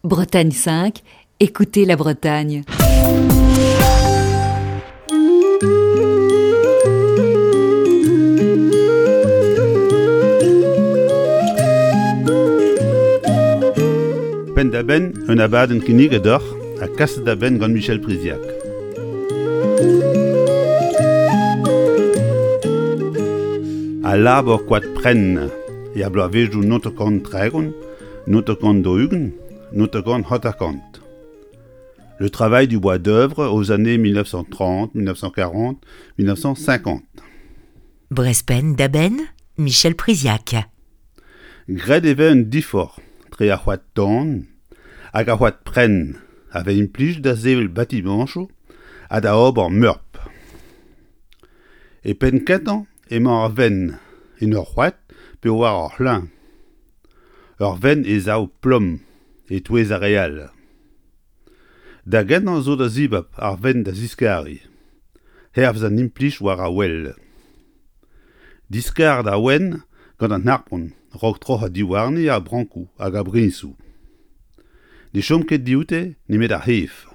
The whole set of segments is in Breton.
Bretagne 5, écoutez la Bretagne. Penn-da-benn un abadenn kinniget deoc'h ha kaset da benn gant Michel Priziac. Al labour koad prenn er bloavezhioù 1930 1940, 1950. Le travail du bois d'œuvre aux années 1930, 1940, 1950. Brespenn da benn, Michel Priziac. Graet e vez un diforc'h tre ar c'hoad tan hag ar c'hoad prenn a vez implijet da sevel batimañchoù ha da ober meurp. E penn-kentañ emañ ar venn en ur c'hoad pe war ur c'hleñv. Ur venn e sav plom e-touez ar re all. Da gentañ zo da zibab ar venn da ziskariñ, hervez an implij war ar wel. Diskar da wenn gant an harpon 'raok troc'hañ diwarni ar brankoù hag ar briñsoù. Ne chom ket dioute nemet ar c'hef.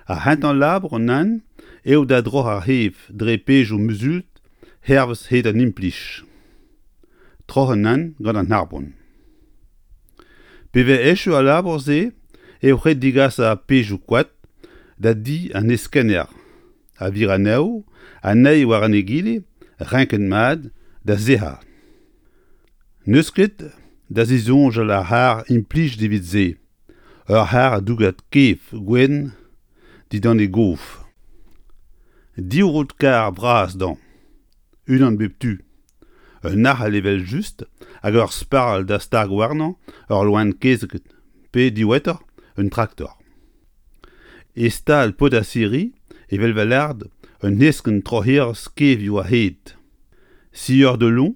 Ar c'hentañ labour nann eo da droc'hañ ar c'hef dre pezhioù muzult hervez hed an implij. Troc'hañ nann gant an harpon. Pe vez echu al labour-se eo ret degas ar pezhioù koad da di an heskenner a vir anezho an eil war an egile renket mat da sec'hañ. N'eus ket da zisoñjal ar c'harr implijet evit se. Ur c'harr dougad kef gwenn dindan e gof. Div rod-karr vras dezhañ, unan bep tu. Un arc'hel evel-just hag ur sparl da stag warnañ ur loen-kezeg pe, diwezhatoc'h, un traktor. E stal Podasiri evel va lard un heskenn troc'herez kevioù a-hed. Sieur de Long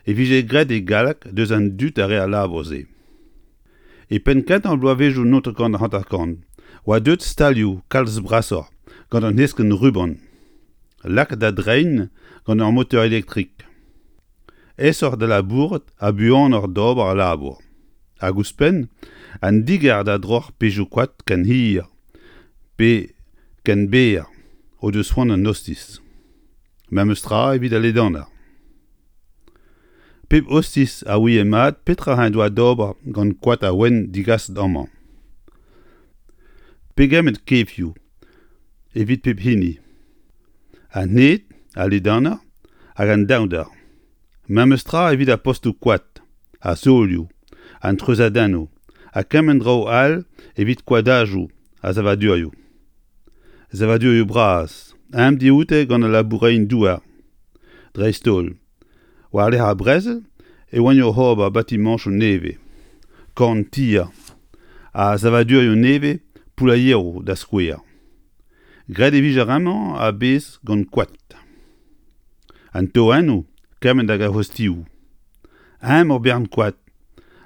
e vije graet e galleg deus an dud a rae al labour-se. E penn-kentañ ar bloavezhioù 1950 oa deuet stalioù kalz brasoc'h gant an heskenn ruban lakaet da dreiñ gant ur moteur elektrik. Aesoc'h da labourat ha buanoc'h d'ober al labour. Hag ouzhpenn, an digar da droc'h pezhioù koad ken hir pe ken berr o deus c'hoant an ostiz. Memes tra evit al ledanañ. Pep ostiz a ouie mat petra en doa d'ober gant koad a ouenn digaset amañ. Pegement kefioù evit pep hini. An hed, al ledanañ hag an downder. Memes tra evit ar postoù koad, ar solioù, an treuzadennoù ha kement draoù all evit koadajoù ha savadurioù. Savadurioù bras, aet dioute gant al laboureien-douar dreist-holl. War-lerc'h ar brezel e oant oc'h ober batimañchoù nevez, korn-tier ha savadurioù nevez poulailheroù da skouer. Graet e vije bremañ a-bezh gant koad. An toennoù kement hag ar c'hostioù. Eñ ur bern koad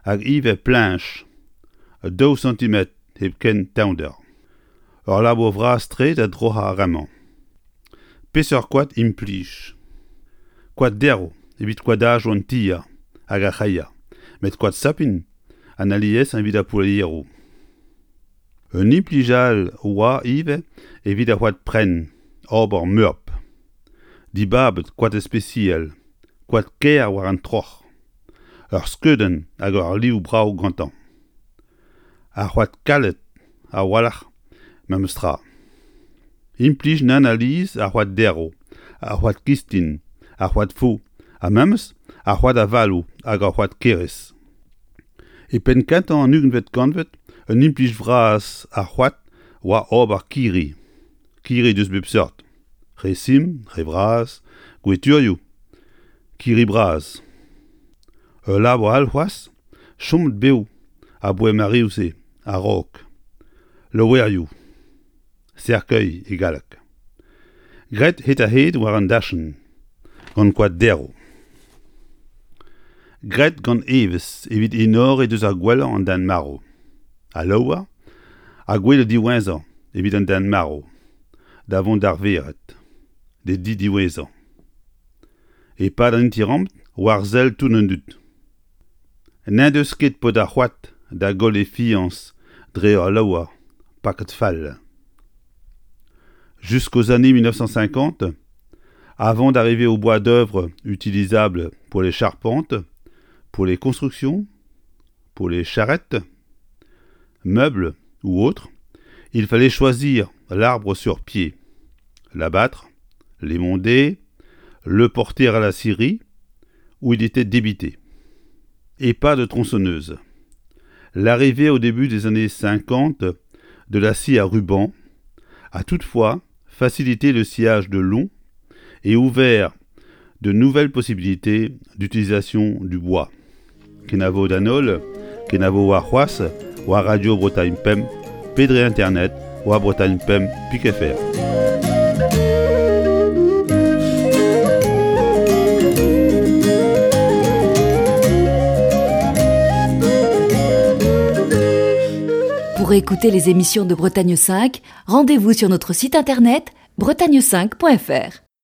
hag ivez pleñch, daou santimetr hepken tommder. Ur labour vras-tre da droc'hañ ar re-mañ. Peseurt koad implij? Koad derv evit koadajoù an tier hag ar c'hreier, met koad sapin an aliesañ evit ar poulieroù. Un implij all oa ivez evit ar c'hoad prenn, ober meurp. Dibabet koad ispisial, koad kaer war an troc'h. Ur skeudenn hag ur liv brav gantañ. Ar c'hoad kalet a-walc'h memes tra. Implij nann alies ar c'hoad derv, ar c'hoad kistin, ar c'hoad fo ha memes ar c'hoad avaloù hag ar c'hoad kerez. E penn-kentañ an ugentvet kantved un implij vras ar c'hoad oa ober kirri, kirri deus bep seurt, re simpl, re vras, gweturioù, kirri bras. Ul labour all c'hoazh, chomet bev aboae mareoù-se a-raok, laouerioù, cercueil e galleg. Graet hed-ha-hed war an dachenn, gant koad derv. Graet gant evezh evit enoriñ deus ar gwellañ an den marv. Al laouer ha gwele diwezhañ evit an den marv, da vont d'ar vered, d'e di diwezhañ. E-pad an interamant war sell tout an dud. N'en deus ket paotr ar c'hoad da goll e fiañs dre ur laouer paket fall. Jusqu'aux années 1950, avant d'arriver au bois d'œuvre utilisable pour les charpentes, pour les constructions, pour les charrettes, meubles ou autres, il fallait choisir l'arbre sur pied, l'abattre, l'émonder, le porter à la scierie, où il était débité. Et pas de tronçonneuse. L'arrivée au début des années 50 de la scie à ruban a toutefois facilité le sciage de long et ouvert de nouvelles possibilités d'utilisation du bois. Kenavo d'an holl, kenavo warc'hoazh war Radio Bretagne Pemp pe dre internet war bretagne5.fr. Pour écouter les émissions de Bretagne 5, rendez-vous sur notre site internet bretagne5.fr.